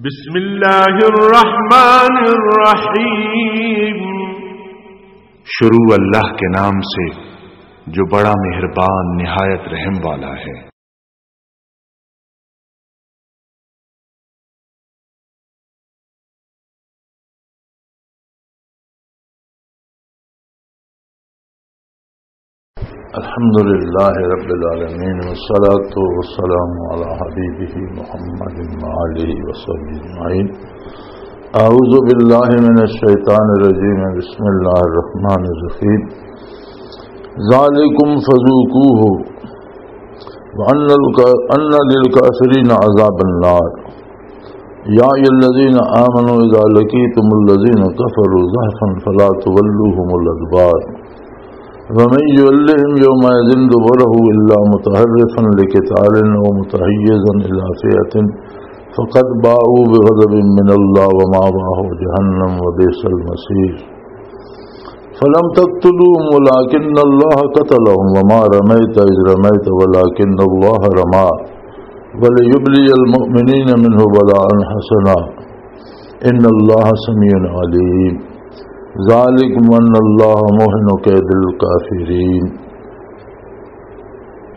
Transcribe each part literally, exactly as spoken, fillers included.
بسم اللہ الرحمن الرحیم۔ شروع اللہ کے نام سے جو بڑا مہربان نہایت رحم والا ہے۔ الحمد لله رب العالمين، والصلاة والسلام على حبيبه محمد وآله وصحبه أجمعين. أعوذ بالله من الشيطان الرجيم. بسم الله الرحمن الرحيم. ذلكم فذوقوه وأن الك-، أن للكافرين عذاب النار. يا أيها الذين آمنوا إذا لقيتم الذين كفروا زحفا فلا تولوهم الأدبار. ومن يولهم يومئذ دبره إلا متحرفا لقتال أو متحيزا إلى فئة فقد باءوا بغضب من الله ومأواهم جهنم وبئس المصير. فلم تقتلوهم ولكن الله قتلهم وما رميت إذ رميت ولكن الله رمى وليبلي المؤمنين منه بلاء حسنا إن الله سميع عليم. ذلكم أن الله موهن كيد الكافرين.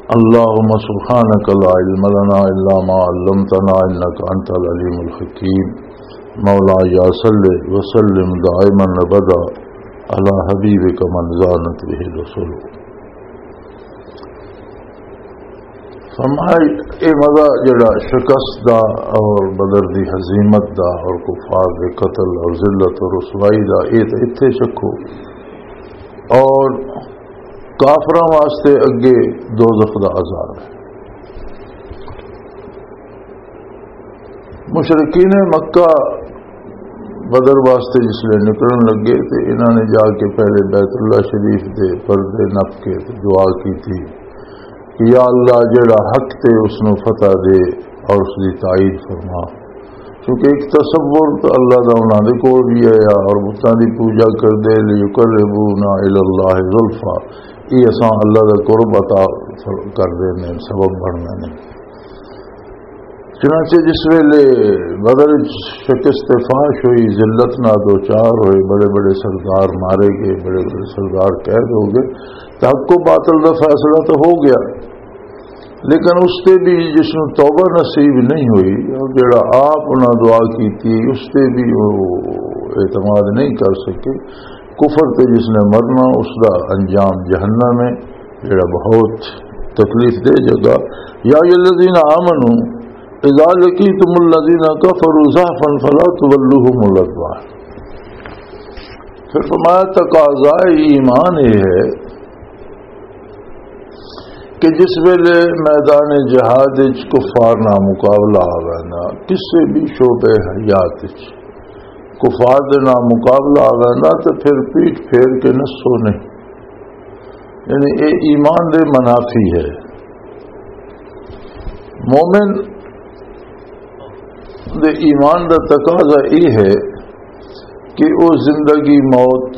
اللهم سبحانك لا علم لنا إلا ما علمتنا إنك أنت العليم الحكيم. مولاي صل وسلم دائما أبدا على حبيبك من زانت به الرسل. فرمایا، اے مزہ جڑا شکست دا اور بدر دی ہزیمت دا اور کفار دے قتل اور ذلت اور رسوائی دا، اے تے اتھے شکو۔ اور کافراں واسطے اگے دوزخ دا عذاب ہے۔ مشرکین مکہ بدر واسطے جس لے نکلن لگے تے انہاں نے جا کے پہلے بیت اللہ شریف دے پردے نپ کے تے دعا کی تھی کہ یا اللہ، جڑا حق تے اس نو فتح دے اور اس دی تائید فرما۔ کیونکہ ایک تصور تو اللہ دا انہاں دے کول بھی آیا اور بتاں دی پوجا کر دے، لیقربونا الی اللہ زلفا، یہ اساں اللہ دا قرب عطا کر دے نے، سبب بننے نے۔ چنانچہ جس ویلے بدر وچ شکست فاش ہوئی، ذلت نال دوچار ہوئے، بڑے بڑے سردار مارے گئے، بڑے بڑے سردار قید ہو گئے، تو حق و باطل دا فیصلہ تو ہو گیا، لیکن اس تے بھی جس نوں توبہ نصیب نہیں ہوئی اور جڑا آپ انہاں دعا کیتی، اس تے بھی وہ اعتماد نہیں کر سکے۔ کفر تے جس نے مرنا، اس دا انجام جہنم ہے، جڑا بہت تکلیف دہ جگہ۔ یا ایھا الذین آمنوا اذا لقیتم الذین کفروا زحفا فلا تولوہم الادبار۔ پھر فرمایا، تقاضائے ایمان یہ ہے کہ جس ویلے میدان جہاد وچ کفار نال مقابلہ آ ویندا، کسے بھی شعبے حیات وچ کفار دے نال مقابلہ آ ویندا، تے پھر پیٹھ پھیر کے نسو نہیں۔ یعنی اے ایمان دے منافی ہے۔ مومن دے ایمان دا تقاضا اے ہے کہ او زندگی موت،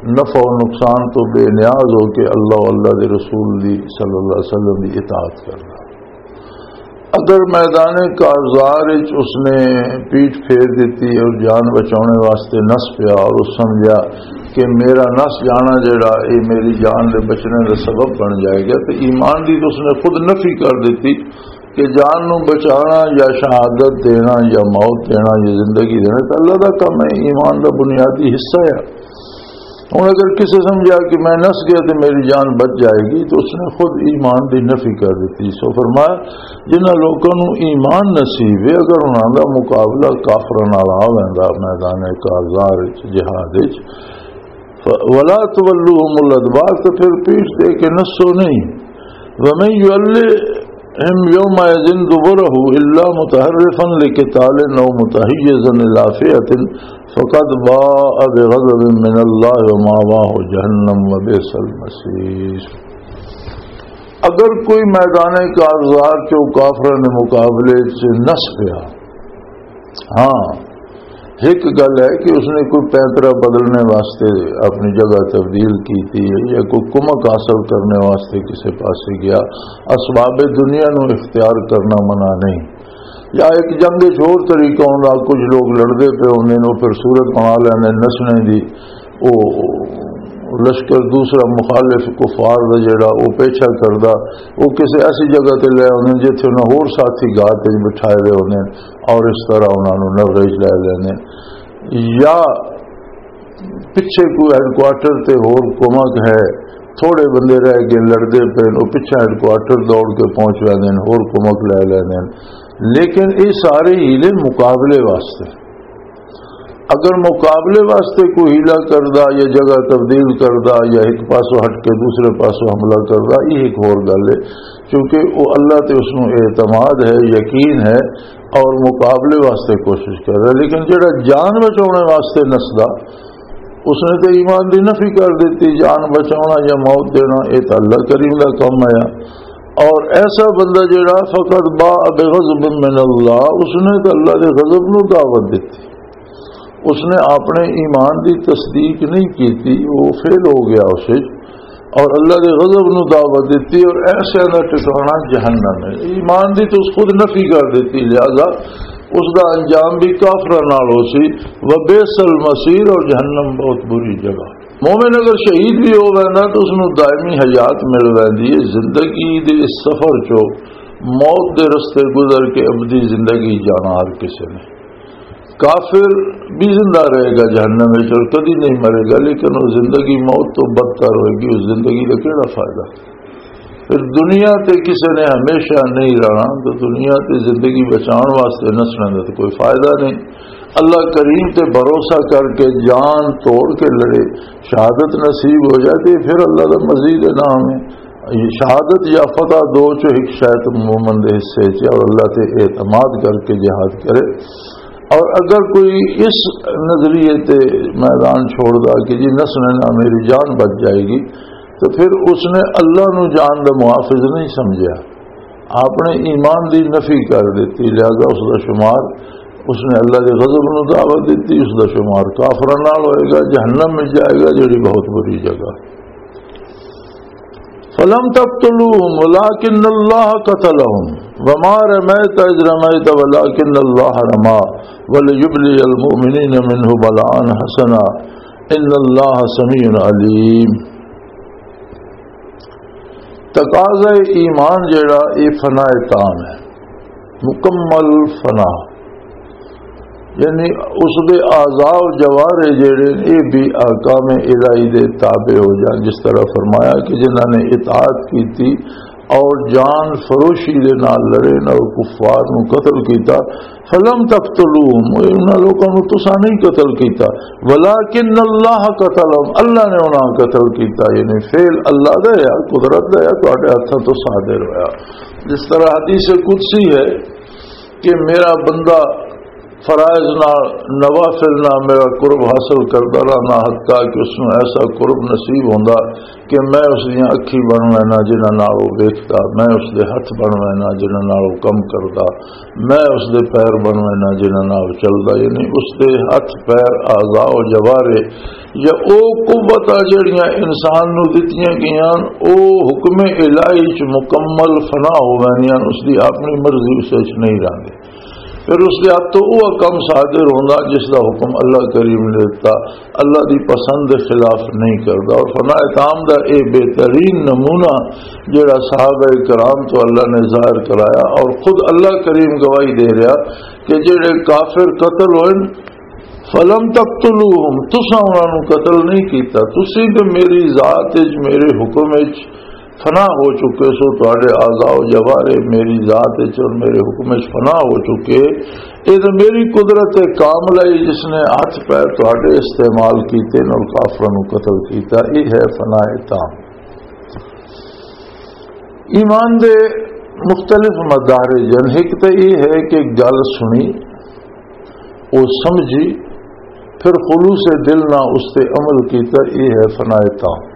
نفع و نقصان تو بے نیاز ہو کے اللہ و اللہ دے رسول دی صلی اللہ علیہ وسلم دی اطاعت کرنا۔ اگر میدان کارزار وچ اس نے پیٹھ پھیر دیتی اور جان بچانے واسطے نس پیا اور اس سمجھا کہ میرا نس جانا جڑا اے میری جان دے بچنے دا سبب بن جائے گا، تو ایمان دی تو اس نے خود نفی کر دیتی کہ جان نو بچانا یا شہادت دینا یا موت دینا یا زندگی دینا تو اللہ دا کم ہے، ایمان دا بنیادی حصہ ہے۔ ہن اگر کسے سمجھا کہ میں نس گیا تے میری جان بچ جائے گی، تو اس نے خود ایمان دی نفی کر دتی۔ سو فرمایا، جنہاں لوکاں نوں ایمان نصیب ہے، اگر انہاں دا مقابلہ کافراں نال آ ویندا میدان کارزار وچ، جہاد وچ، ف-، ولا تولوہم الادبار، تو پھر پیٹھ دے کے نسو نہیں۔ ومن یولہم یومئذ دبرہ الا متحرفا لقتال او متحیزا الی فئۃ فقد باء بغضب من اللہ ومأواہ جہنم وبئس المصیر۔ اگر کوئی میدان کارزار چوں کافراں دے مقابلے چ نس پیا، ہاں، ایک گل ہے کہ اس نے کوئی پینترا بدلنے واسطے اپنی جگہ تبدیل کی تھی یا کوئی کمک حاصل کرنے واسطے کسی پاسے گیا، اسباب دنیا نو اختیار کرنا منع نہیں، یا ایک جنگ وچ ہور طریقہ ہوندا، کچھ لوگ لڑدے پے ہوندے نے، او پھر صورت بنا لیندے نسنے دی۔ او لشکر دوسرا مخالف کفار دا جڑا او پیچھا کردا، او کسے ایسی جگہ تے لے ہوندے جتھے انہاں ہور ساتھی گاہ تے بٹھائے ہوئے ہوندے نے اور اس طرح انہاں نوں نظر وچ لے لیندے نے۔ یا پچھے کوئی ہیڈ کوارٹر تے ہور کمک ہے، تھوڑے بندے رہ گئے، لڑدے پے نے، او پچھے ہیڈ کوارٹر دوڑ کے پہنچ ویندے نے، ہور کمک لے لیندے نے۔ لیکن یہ سارے ہیلے مقابلے واسطے۔ اگر مقابلے واسطے کوئی ہیلا کردا یا جگہ تبدیل کردا یا ایک پاسوں ہٹ کے دوسرے پاسوں حملہ کردا، یہ ایک ہور گل ہے، کیونکہ وہ اللہ تے اس نوں اعتماد ہے، یقین ہے، اور مقابلے واسطے کوشش کر رہا ہے۔ لیکن جڑا جان بچاؤنے واسطے نسدا، اس نے تو ایمان دی نفی کر دیتی۔ جان بچاؤنا یا موت دینا، یہ تو اللہ کریم دا کم ہے۔ اور ایسا بندہ جڑا فقط باء بغضب من اللہ، اس نے تو اللہ دے غضب نو دعوت دیتی۔ اس نے اپنے ایمان دی تصدیق نہیں کیتی، وہ فیل ہو گیا اس وچ، اور اللہ دے غضب نو دعوت دیتی، اور ایسے دا ٹھکانہ جہنم ہے۔ ایمان دی تو اس خود نفی کر دیتی، لہذا اس دا انجام بھی کافراں نال ہو سی، وبئس المصیر، اور جہنم بہت بری جگہ۔ مومن اگر شہید بھی ہو ویندا تو اس نو دائمی حیات مل ویندی ہے، زندگی دے اس سفر چو موت دے رستے گزر کے ابدی زندگی جانا ہر کسی نے۔ کافر بھی زندہ رہے گا جہنم وچ اور کدی نہیں مرے گا، لیکن وہ زندگی موت تو بدتر ہوئے گی۔ اس زندگی کا کیڑا فائدہ؟ پھر دنیا تے کسے نے ہمیشہ نہیں رہنا، تو دنیا تے زندگی بچان واسطے نسنا دا تو کوئی فائدہ نہیں۔ اللہ کریم تے بھروسہ کر کے جان توڑ کے لڑے، شہادت نصیب ہو جائے تو پھر اللہ دا مزید انعام ہے۔ یہ شہادت یا فتح دو چو ایک شاید مومن دے حصے چ ہے، اور اللہ تے اعتماد کر کے جہاد کرے۔ اور اگر کوئی اس نظریے تے میدان چھوڑ دا کہ جی نسنے نہ میری جان بچ جائے گی، تو پھر اس نے اللہ نو جان دا محافظ نہیں سمجھا، آپ نے ایمان دی نفی کر دیتی، لہذا اس دا شمار، اس نے اللہ دے غضب نو دعوت دیتی، اس دا شمار کافراں نال ہوئے گا، جہنم میں جائے گا، جڑی بہت بری جگہ۔ فلم تقتلوهم ولكن الله قتلهم وما رميت إذ رميت ولكن الله رمى وليبلي المؤمنين منه بلاء حسنا إن الله سميع عليم۔ تقاضۂ ایمان جڑا، یہ فنا تام ہے، مکمل فنا، یعنی اس دے اعضاء و جوارے جڑے نے، یہ بھی احکام الہی دے تابع ہو جان۔ جس طرح فرمایا کہ جنہاں نے اطاعت کی تھی اور جان فروشی دے نال لڑے نہ، اور کفار نو قتل کیتا، فلم تقتلوهم، انہاں لوکاں نو تساں نہیں قتل کیتا، ولکن اللہ قتلهم، اللہ نے انہاں قتل کیتا۔ یعنی فعل اللہ دا ہے، قدرت دا ہے، تہاڈے ہتھاں تو صادر ہویا۔ جس طرح حدیث قدسی ہے کہ میرا بندہ فرائض نال، نوافل نال میرا قرب حاصل کردا رہنا، حتیٰ کہ اس نوں ایسا قرب نصیب ہوندا کہ میں اس دیاں اکھیں بن وینا جنہاں نال وہ ویکھدا، میں اس دے ہتھ بن وینا جنہاں نال وہ کم کردا، میں اس دے پیر بن وینا جنہاں نال وہ چلدا۔ یعنی اس دے ہتھ، پیر، اعضاء و جوارے یا او قوتاں جڑیاں انسان نوں دتیاں گئیاں، او حکم الہی چ مکمل فنا ہو ویندیاں، اس دی اپنی مرضی اس وچ نہیں رہندی۔ پھر اس دے ہتھ تو وہ کم صادر ہوندا جس دا حکم اللہ کریم نے دتا، اللہ دی پسند دے خلاف نہیں کردا۔ اور فنا تام دا اے بہترین نمونہ جڑا صحابہ کرام تو اللہ نے ظاہر کرایا، اور خود اللہ کریم گواہی دے رہا کہ جڑے کافر قتل ہوئے، فلم تقتلوهم، تساں انہاں نوں قتل نہیں کیتا، تسی تے میری ذات وچ، میرے حکم وچ فنا ہو چکے سو، تہاڈے اعضاء و جوارے میری ذات وچ اور میرے حکم وچ فنا ہو چکے۔ یہ تو میری قدرت کاملہ ہے جس نے ہتھ پیر تہاڈے استعمال کیتے نے اور کافراں نوں قتل کیتا۔ یہ ہے فنا تام۔ ایمان دے مختلف مدارج ہیں۔ ایک تو یہ ہے کہ گل سنی، وہ سمجھی، پھر خلوص دل نہ اس تے عمل کیتا، یہ ہے فنا تام۔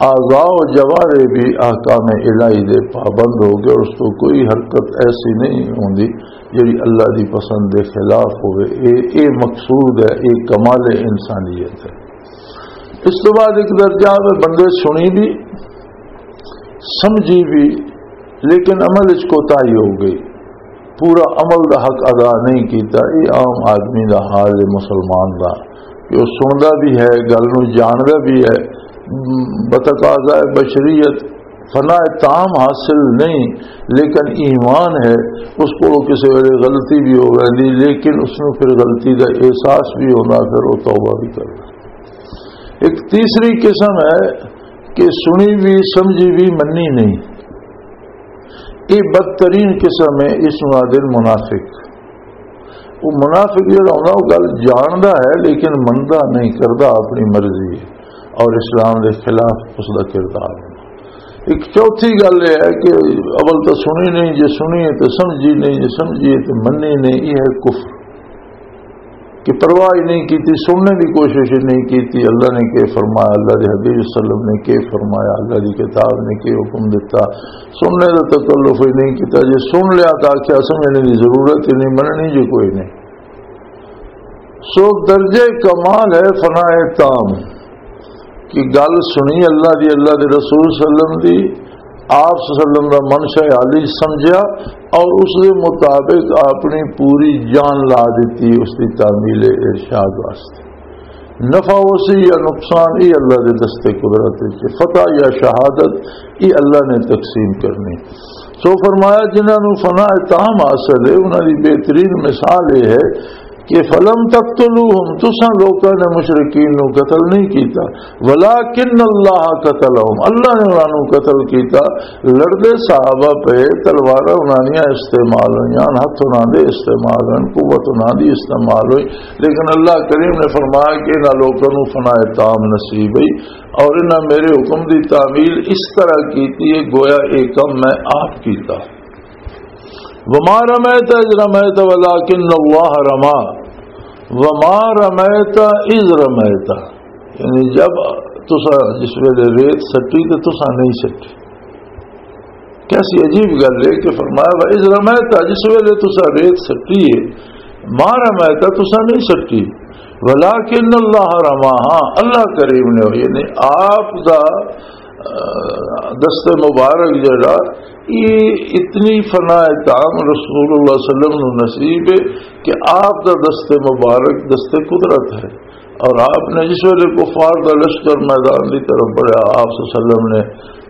اعضاء و جوارے بھی احکام الہی دے پابند ہو گئے، اس تو کوئی حرکت ایسی نہیں ہوندی جڑی اللہ دی پسند دے خلاف ہوئے۔ اے، اے مقصود ہے، اے کمال انسانیت ہے۔ اس تو بعد ایک درجہ ہے بندے سنی بھی، سمجھی بھی، لیکن عمل وچ کوتاہی ہو گئی۔ پورا عمل دا حق ادا نہیں کیتا۔ یہ عام آدمی دا حال ہے، مسلمان دا، کہ وہ سندا بھی ہے، گل نو جاندا بھی ہے، بتقاضا بشریت فنا تام حاصل نہیں، لیکن ایمان ہے، اس کو کسی ویلے غلطی بھی ہو ویندی، لیکن اس نو پھر غلطی دا احساس بھی ہوندا، پھر وہ توبہ بھی کردا۔ ایک تیسری قسم ہے کہ سنی بھی، سمجھی بھی، منی نہیں۔ یہ بدترین قسم ہے، اس نو آدھے منافق۔ وہ منافق جڑا ہوندا، وہ گل جاندا ہے لیکن مندا نہیں، کردا اپنی مرضی ہے، اور اسلام دے خلاف اس دا کردار ہے۔ ایک چوتھی گل یہ ہے کہ اول تو سنی نہیں، جے سنی ہے تو سمجھی نہیں، جے سمجھی ہے تو منی نہیں، یہ ہے کفر۔ کہ پرواہ ہی نہیں کیتی، سننے دی کوشش ہی نہیں کیتی، اللہ نے کی فرمایا، اللہ دے حبیب صلی اللہ علیہ وسلم نے کی فرمایا، اللہ دی کتاب نے کی حکم دیتا، سننے دا تکلف ہی نہیں کیتا۔ جے سن لیا تو آخیا سمجھنے دی ضرورت ہی نہیں، مننی جے کوئی نہیں۔ سو درجے کمال ہے فنا تام، کہ گل سنی اللہ دی، اللہ دے رسول صلی اللہ علیہ وسلم دی، آپ صلی اللہ علیہ وسلم دا منشا عالی سمجھیا اور اس دے مطابق اپنی پوری جان لا دیتی اس دی تعمیل ارشاد واسطے۔ نفع ہو سی یا نقصان، یہ اللہ دے دستے قدرت وچ، فتح یا شہادت، یہ اللہ نے تقسیم کرنی۔ سو فرمایا، جنہاں نوں فنا تام حاصل ہے، انہاں دی بہترین مثال یہ ہے کہ فلم تقتلوہم، تساں لوکاں نے مشرکین نوں قتل نہیں کیتا، ولکن اللہ قتلہم، اللہ نے انہاں نوں قتل کیتا۔ لڑدے صحابہ پہ، تلواراں انہاں دیاں استعمال ہوئیاں، ہتھ انہاں دے استعمال ہوئے، قوت انہاں دی استعمال ہوئی، لیکن اللہ کریم نے فرمایا کہ انہاں لوکاں نوں فنا تام نصیب ہوئی اور انہاں میرے حکم دی تعمیل اس طرح کیتی ہے گویا ایک کم میں آپ کیتا۔ وما رمیت اذ رمیت ولکن اللہ رما، وما رمیت اذ رمیت، یعنی جب تسا جس ویلے ریت سٹی تو تسا نہیں سٹی۔ کیسی عجیب گل ہے کہ فرمایا، "وَإِذْ رَمَيْتَ"، جس ویلے تسا ریت سٹی ہے، "مَا رَمَيْتَ"، تسا نہیں سٹی، "وَلَٰكِنَّ اللَّهَ رَمَىٰ"، ہاں، اللہ کریم نے، یعنی آپ دا، آ، دست مبارک جڑا، یہ اتنی فنا تام رسول اللہ صلی اللہ علیہ وسلم نو نصیب ہے کہ آپ دا دست مبارک دست قدرت ہے۔ اور آپ نے جس ویلے کفار دا لشکر میدان دی طرف بڑھیا، آپ صلی اللہ علیہ وسلم نے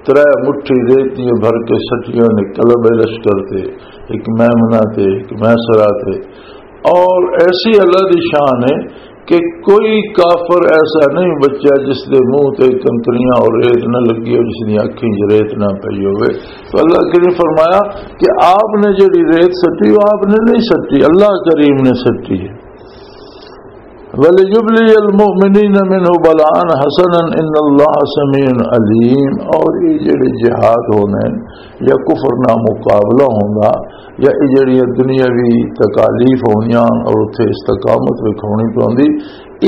ترے مٹھی ریت دیاں بھر کے سٹیاں نے قلب لشکر تے، ایک میمنہ تے، ایک میسرہ تے۔ اور ایسی اللہ دی شان ہے کہ کوئی کافر ایسا نہیں بچیا جس دے منہ تے کنکریاں اور ریت نہ لگی ہو، جس دی اکھیں چ ریت نہ پئی ہوئے۔ تو اللہ کریم فرمایا کہ آپ نے جڑی ریت سٹی، وہ آپ نے نہیں سٹی، اللہ کریم نے سٹی ہے۔ وَلِيُبْلِيَ الْمُؤْمِنِينَ مِنْهُ بَلَاءً حَسَنًا إِنَّ اللَّهَ سَمِيعٌ عَلِيمٌ۔ اور یہ جڑے جہاد ہونے یا کفر نہ مقابلہ ہونا یا یہ جڑیاں دنیاوی تکالیف ہونیاں اور اتھے استقامت وکھاونی پوندی،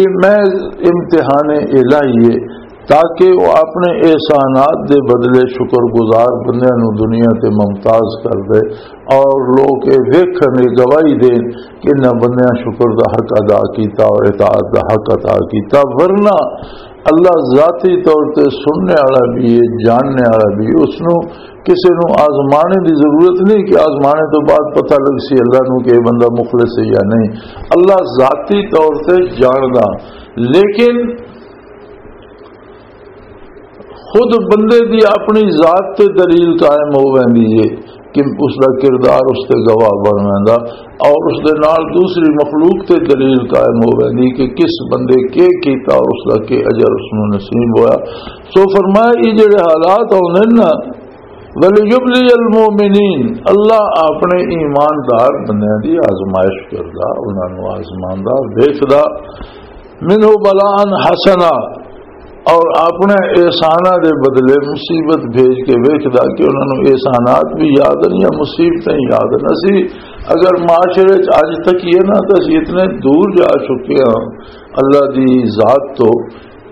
یہ محض امتحان الہی ہے، تاکہ وہ اپنے احسانات دے بدلے شکر گزار بندیاں نوں دنیا تے ممتاز کر دے اور لوگ یہ ویکھن، یہ گواہی دین کہ انہاں بندیاں شکر دا حق ادا کیتا اور اطاعت دا حق ادا کیتا۔ ورنہ اللہ ذاتی طور تے سننے والا بھی ہے، جاننے والا بھی ہے۔ اس نو کسے نو آزمانے دی ضرورت نہیں کہ آزمانے تو بعد پتہ لگ سی اللہ نو کہ یہ بندہ مخلص ہے یا نہیں۔ اللہ ذاتی طور تے جاندا، لیکن خود بندے دی اپنی ذات تے دلیل قائم ہو ویندی ہے کہ اس دا کردار اس تے گواہ بن ویندا، اور اس دے نال دوسری مخلوق تے دلیل قائم ہو ویندی کہ کس بندے کے کیتا اور اس دا کے اجر اس نوں نصیب ہویا۔ سو فرمایا، یہ جڑے حالات ہوندے نا، وَلِيُبْلِيَ الْمُؤْمِنِينَ، اللہ اپنے ایماندار بندیاں دی آزمائش کردا، انہاں نوں آزماندا، ویکھدا، مِنْهُ بَلَاءً حَسَنًا، اور اپنے احساناں دے بدلے مصیبت بھیج کے ویکھدا کہ انہاں نوں احسانات بھی یاد ہیں یا مصیبتیں یاد ہیں۔ اسی اگر معاشرے چ اج تک یہ نہ تو اسی اتنے دور جا چکے ہاں اللہ دی ذات تو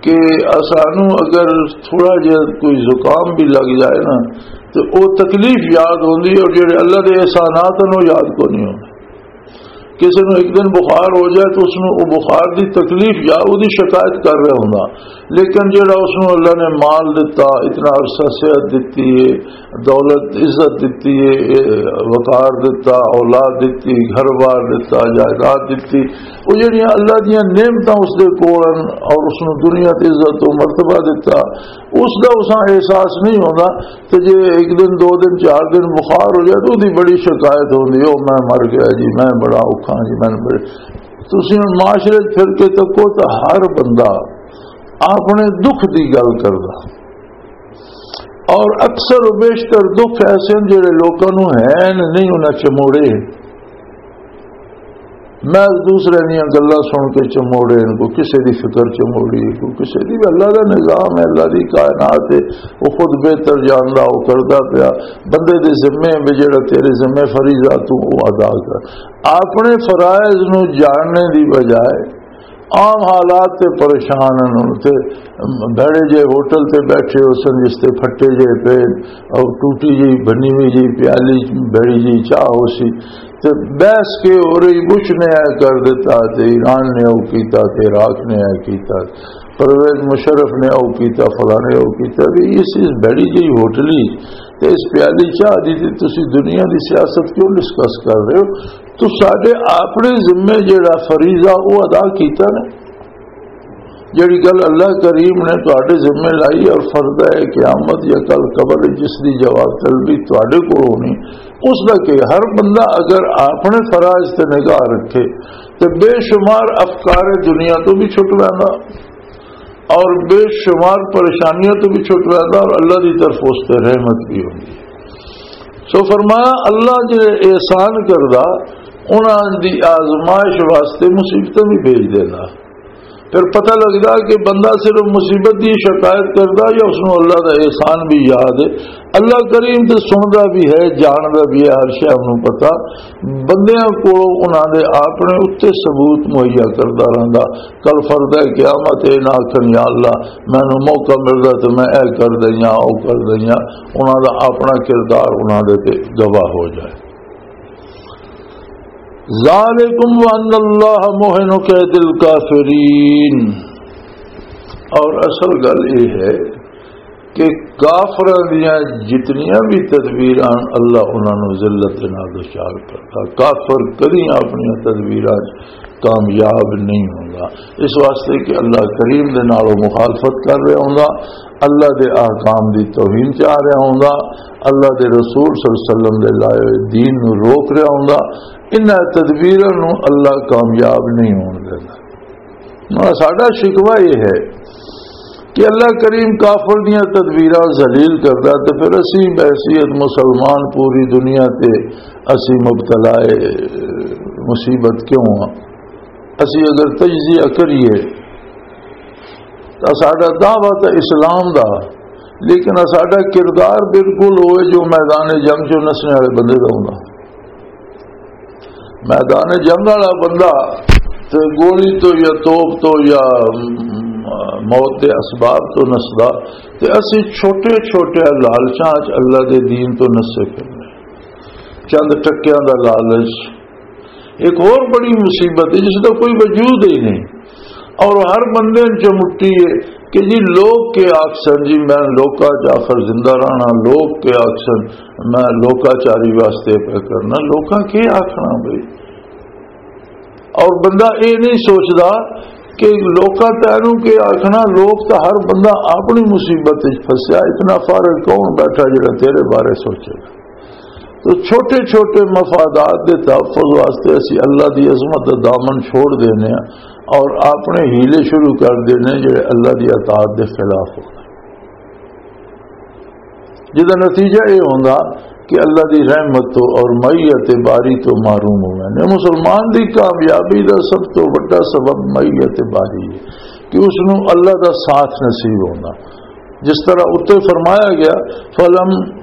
کہ اسانوں اگر تھوڑا جہا کوئی زکام بھی لگ جائے نا تو وہ تکلیف یاد ہوندی ہے، اور جڑے اللہ دے احسانات ہیں وہ یاد کو نہیں ہوندے۔ کسی نو ایک دن بخار ہو جائے تو اس نو وہ بخار دی تکلیف یا وہ دی شکایت کر رہا ہوندا، لیکن جڑا اس نو اللہ نے مال دتا، اتنا عرصہ صحت دتی ہے، دولت عزت دتی ہے، وقار دتا، اولاد دتی، گھر بار دتا، جائیداد دتی، وہ جڑیاں اللہ دیاں نعمتاں اس دے کول ہن اور اس نو دنیا تے عزت و مرتبہ دتا، اس دا اساں احساس نہیں ہوندا۔ تے جے ایک دن، دو دن، چار دن بخار ہو جائے تو دی بڑی شکایت ہوندی ہے، "او میں مر گیا جی، میں بڑا اوکھا جی، میں بڑے۔" تسی ہن معاشرے 'چ پھر کے تکو تو ہر بندہ اپنے دکھ دی گل کردا، اور اکثر و بیشتر دکھ ایسے ہیں جڑے لوکاں نوں ہیں نہیں، انہاں چموڑے۔ میں دوسرے دیاں گلاں سن کے چموڑے، ان کو کسے دی فکر چموڑی، کو کسے دی، اللہ دا نظام ہے، اللہ دی کائنات ہے، وہ خود بہتر جاندا، وہ کردا پیا۔ بندے دے ذمے بھی جڑا تیرے ذمے فریضہ تو وہ ادا کر۔ اپنے فرائض نو جاننے دی بجائے عام حالات تے پریشان ہن۔ تے بھڑے جے ہوٹل تے بیٹھے ہو سن، جس تے پھٹے جے پے، اور ٹوٹی جی بنی ہوئی جی پیالی، بھڑی جی چاہ ہو سی، تے بحث کے ہو رہی، بش نے اے کر دیتا، تے ایران نے او کیتا، تے عراق نے اے کیتا، پرویز مشرف نے او کیتا، فلانے او کیتا۔ بھی اس، اس بھڑی جی ہوٹلی تے اس پیالی چاہ دی تے تسی دنیا دی سیاست کیوں ڈسکس کر رہے ہو؟ تو ساڈے اپنے ذمے جڑا فریضہ او ادا کیتا نا، جڑی گل اللہ کریم نے تہاڈے ذمے لائی اور فرض ہے قیامت یا کل قبر وچ جس دی جواب طلبی تہاڈے کول ہونی، اس دا کہ ہر بندہ اگر اپنے فرائض تے نگاہ رکھے تے بے شمار افکار دنیا تو بھی چھٹ ویندا اور بے شمار پریشانیاں تو بھی چھٹ ویندا اور اللہ دی طرف اس تے رحمت بھی ہوندی۔ سو فرمایا، اللہ جڑے احسان کردا، انہاں دی آزمائش واسطے مصیبتاں بھی بھیج دیندا۔ پھر پتہ لگدا کہ بندہ صرف مصیبت دی شکایت کردا یا اس نوں اللہ دا احسان بھی یاد ہے۔ اللہ کریم تے سندا بھی ہے، جاندا بھی ہے، ہر شے نوں پتہ۔ بندیاں کولوں انہاں دے اپنے اُتے ثبوت مہیا کردا رہندا۔ کل فرد قیامت اے نہ آکھن، "یا اللہ، مینوں موقع ملدا تے میں اے کر دئیاں، او کر دئیاں۔" انہاں دا اپنا کردار انہاں دے تے گواہ ہو جائے۔ ذالکم وان اللہ محن کید الکافرین۔ اور اصل گل یہ ہے کہ کافراں دیاں جتنیاں بھی تدبیراں، اللہ انہاں نوں ذلت دے نال دچار کردا۔ کافر کدی اپنیاں تدبیراں 'چ کامیاب نہیں ہوندا۔ اس واسطے کہ اللہ کریم دے نال او مخالفت کر رہا ہوندا، اللہ دے احکام دی توہین چاہ رہا ہوندا، اللہ دے رسول صلی اللہ علیہ وسلم دے لائے ہوئے دین نوں روک رہا ہوندا۔ انہاں تدبیراں نوں اللہ کامیاب نہیں ہون دیندا۔ ہاں، ساڈا شکوہ یہ ہے کہ اللہ کریم کافر دیاں تدبیراں ذلیل کردا تے پھر اسی بحیثیت مسلمان پوری دنیا تے اسی مبتلا مصیبت کیوں ہاں؟ اسی اگر تجزیہ کریے تو ساڈا دعویٰ تو اسلام دا، لیکن ساڈا کردار بالکل ہوئے جو میدان جنگ چوں نسنے والے بندے دا ہوندا۔ میدان جنگ والا بندہ تے گولی تو یا توپ تو یا، م، موت دے اسباب تو نسدا، تے اسی چھوٹے چھوٹے لالچاں 'چ اللہ دے دین تو نسے پھرنے۔ چند ٹکیاں دا لالچ ایک اور بڑی مصیبت ہے جس دا کوئی وجود ہی نہیں، اور ہر بندے نوں چمٹی ہے کہ جی لوگ کے آکھسن، جی میں لوکاں 'چ آخر زندہ رہنا، لوگ کے آکھسن، میں لوکاچاری واسطے پہ کرنا، لوکاں کے آکھنا بھئی؟ اور بندہ یہ نہیں سوچدا کہ لوکاں تینوں کے آکھنا، لوگ تو ہر بندہ اپنی مصیبت وچ پھسیا، اتنا فارغ کون بیٹھا جڑا تیرے بارے سوچے گا۔ تو چھوٹے چھوٹے مفادات دے تحفظ واسطے اسی اللہ دی عظمت دا دامن چھوڑ دینے ہیں اور اپنے حیلے شروع کر دینے ہیں جڑے اللہ دی اطاعت دے خلاف ہو۔ جدا نتیجہ یہ ہوندا کہ اللہ دی رحمت تو اور معیت باری تو محروم ہوئے نے۔ مسلمان دی کامیابی دا سب تو بڑا سبب معیت باری ہے کہ اس نو اللہ دا ساتھ نصیب ہوندا۔ جس طرح اتنے فرمایا گیا، فلم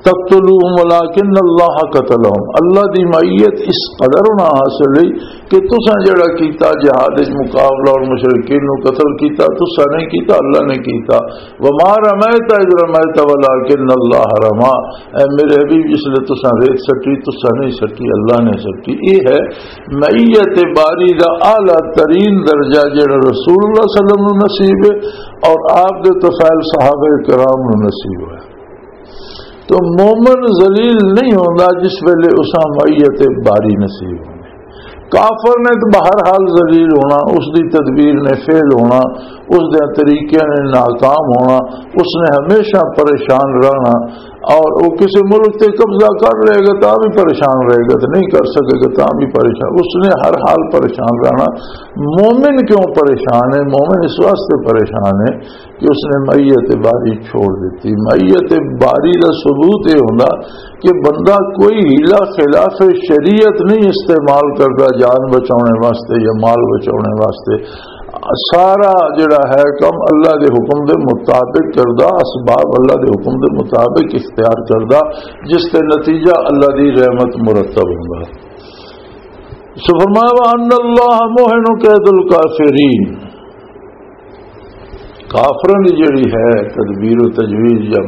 تقتلوهم ولكن الله قتلهم۔ اللہ دی معیت اس قدر نہ حاصل ہوئی کہ تساں جڑا کیتا جہاد وچ مقابلہ اور مشرکین نو قتل کیتا، تساں نہیں کیتا، اللہ نے کیتا۔ وما رميت إذ رميت ولكن الله رمى۔ اے میرے حبیب، جس لے تساں ریت سٹی، تساں نہیں سٹی، اللہ نے سٹی۔ یہ ہے معیت باری دا اعلیٰ ترین درجہ، جڑا رسول اللہ صلی اللہ علیہ وسلم نو نصیب ہے اور آپ دے طفیل صحابہ کرام نو نصیب ہے۔ تو مومن ذلیل نہیں ہوندا جس ویلے اساں معیت باری نصیب ہوندی۔ کافر نے تو بہرحال ذلیل ہونا، اس دی تدبیر نے فیل ہونا، اس دے طریقے نے ناکام ہونا، اس نے ہمیشہ پریشان رہنا۔ اور وہ کسی ملک تے قبضہ کر لے گا تاں بھی پریشان رہے گا، تو نہیں کر سکے گا تاں بھی پریشان، اس نے ہر حال پریشان رہنا۔ مومن کیوں پریشان ہے؟ مومن اس واسطے پریشان ہے کہ اس نے معیت باری چھوڑ دیتی۔ معیت باری دا ثبوت یہ ہوندا کہ بندہ کوئی حیلہ خلاف شریعت نہیں استعمال کردا جان بچاؤنے واسطے یا مال بچاؤنے واسطے۔ سارا جڑا ہے کم اللہ دے حکم دے مطابق کردا، اسباب اللہ دے حکم دے مطابق اختیار کردا، جس تے نتیجہ اللہ دی رحمت مرتب ہوندا۔ سو فرمایا، وَأَنَّ اللَّهَ مُوهِنُ كَيْدِ الْكَافِرِينَ۔ کافراں دی جڑی ہے تدبیر و تجویز یا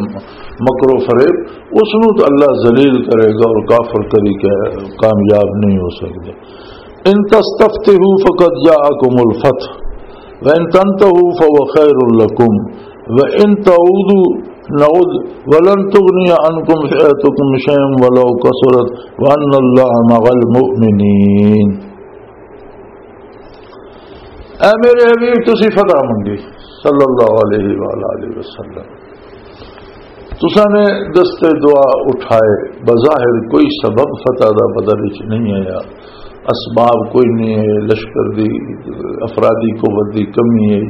مکر و فریب، اس نو تو اللہ ذلیل کرے گا اور کافر کدی کہ-، کامیاب نہیں ہو سکدا۔ ان تستفتحوا فقد جاءکم الفتح وان تنتهوا فهو خیر لکم وان تعودوا نعد ولن تغنی عنکم فئتکم شیئا ولو کثرت وان اللہ مع المؤمنین۔ اے میرے حبیب، تسی فتح منگی صلی اللہ علیہ وآلہ وسلم، تساں نے دستے دعا اٹھائے، بظاہر کوئی سبب فتح دا بدر وچ نہیں آیا، اسباب کوئی نہیں ہے، لشکر دی، افرادی قوت دی کمی ہے،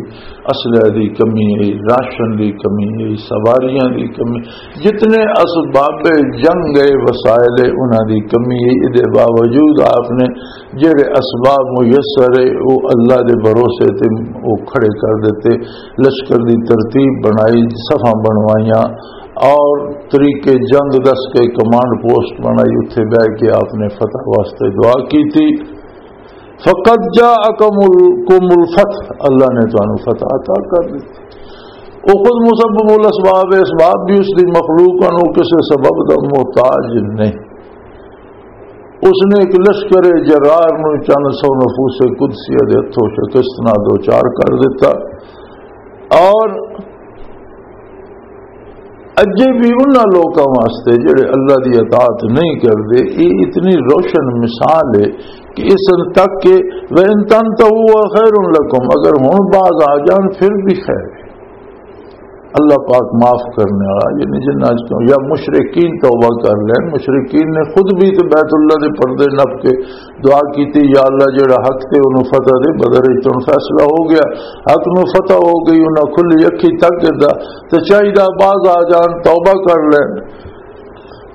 اسلحے دی کمی ہے، راشن دی کمی ہے، سواریاں دی کمی، جتنے اسباب جنگ ہے، وسائل ہے، انہاں دی کمی ہے۔ اے دے باوجود آپ نے جڑے اسباب میسر ہے، وہ اللہ دے بھروسے تے وہ کھڑے کر دیتے، لشکر دی ترتیب بنائی، صفاں بنوائیاں اور طریقے جنگ دس کے کمانڈ پوسٹ بنائی، اتھے بہ کے آپ نے فتح واسطے دعا کی تھی۔ فقد جاءکم الفتح، اللہ نے تانوں فتح عطا کر دی۔ وہ خود مسبب الاسباب ہے، اسباب بھی اس دی مخلوق ہیں، وہ کسی سبب دا محتاج نہیں۔ اس نے ایک لشکر جرار نو چند سو نفوس قدسیہ دے ہتھوں شکست نہ دو چار کر دیتا۔ اور اجے بھی انہاں لوکاں واسطے جڑے اللہ دی اطاعت نہیں کردے، یہ اتنی روشن مثال ہے کہ اس تک کہ وَإِن تَنْتَهُوا خَيْرٌ لَكُمْ، اگر ہن باز آ جان پھر بھی خیر ہے۔ اللہ پاک معاف کرنے والا، یعنی جنہاں چ کیوں یا مشرکین توبہ کر لین، مشرکین نے خود بھی تو بیت اللہ دے پردے نپ کے دعا کیتی، یا اللہ جڑا حق تے انہوں فتح دے، بدر وچ تن فیصلہ ہو گیا، حق نو فتح ہو گئی، انہاں کھلی اکھی تک گدا، تے چاہیدا باز آ جان، توبہ کر لین۔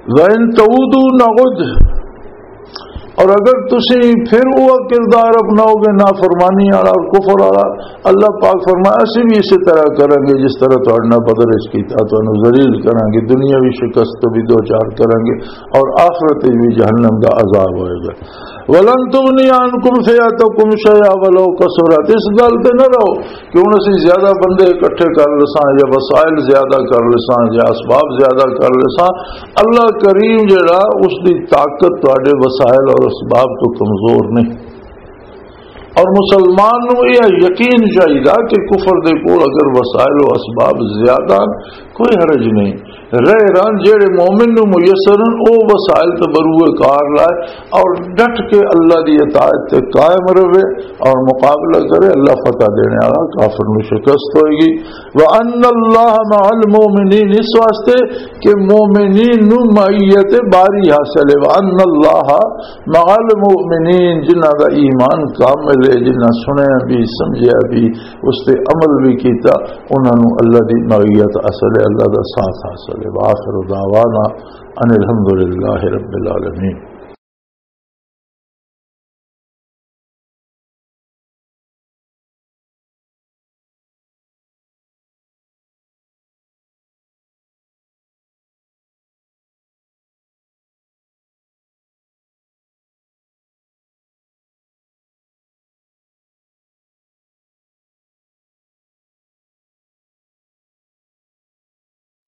وَإِن تَعُودُوا نَعُدْ، اور اگر تسی پھر وہ کردار اپناؤ گے نافرمانی والا اور کفر والا، اللہ پاک فرمایا، اسی بھی اسی طرح کریں گے جس طرح تہاڈے نال بدر وچ کیتا، تانوں ذلیل کریں گے، دنیاوی شکست تو بھی دو چار کریں گے اور آخرت وچ بھی جہنم دا عذاب ہوئے گا۔ وَلَن تُغْنِيَ عَنْكُمْ فِئَتُكُمْ شَيْئًا وَلَوْ كَثُرَتْ، اس گل تے نہ رہو کہ ہن اسی زیادہ بندے اکٹھے کر لساں یا وسائل زیادہ کر لساں یا اسباب زیادہ کر لساں، اللہ کریم جڑا، اس دی طاقت تہاڈے وسائل اور اسباب تو کمزور نہیں۔ اور مسلمان نو یہ یقین چاہیدا کہ کفر دے کول اگر وسائل و اسباب زیادہ، کوئی حرج نہیں۔ رہ رہن جڑے مومن نو میسر ہن، او وسائل تے بروئے کار لائے اور ڈٹ کے اللہ دی اطاعت تے قائم رہے اور مقابلہ کرے، اللہ فتح دینے والا، کافر نو شکست ہوئے گی۔ وَأَنَّ اللَّهَ مَعَ الْمُؤْمِنِينَ، اس واسطے کہ مومنین نو معیت باری حاصل ہے۔ وَأَنَّ اللَّهَ مَعَ الْمُؤْمِنِينَ، جنہاں دا ایمان کامل ہے، جنہاں سنیا بھی، سمجھیا بھی، اس تے عمل بھی کیتا، انہاں نو اللہ دی معیت حاصل ہے، اللہ دا ساتھ حاصل ہے۔ وآخر دعوانا ان الحمد للہ رب العالمین۔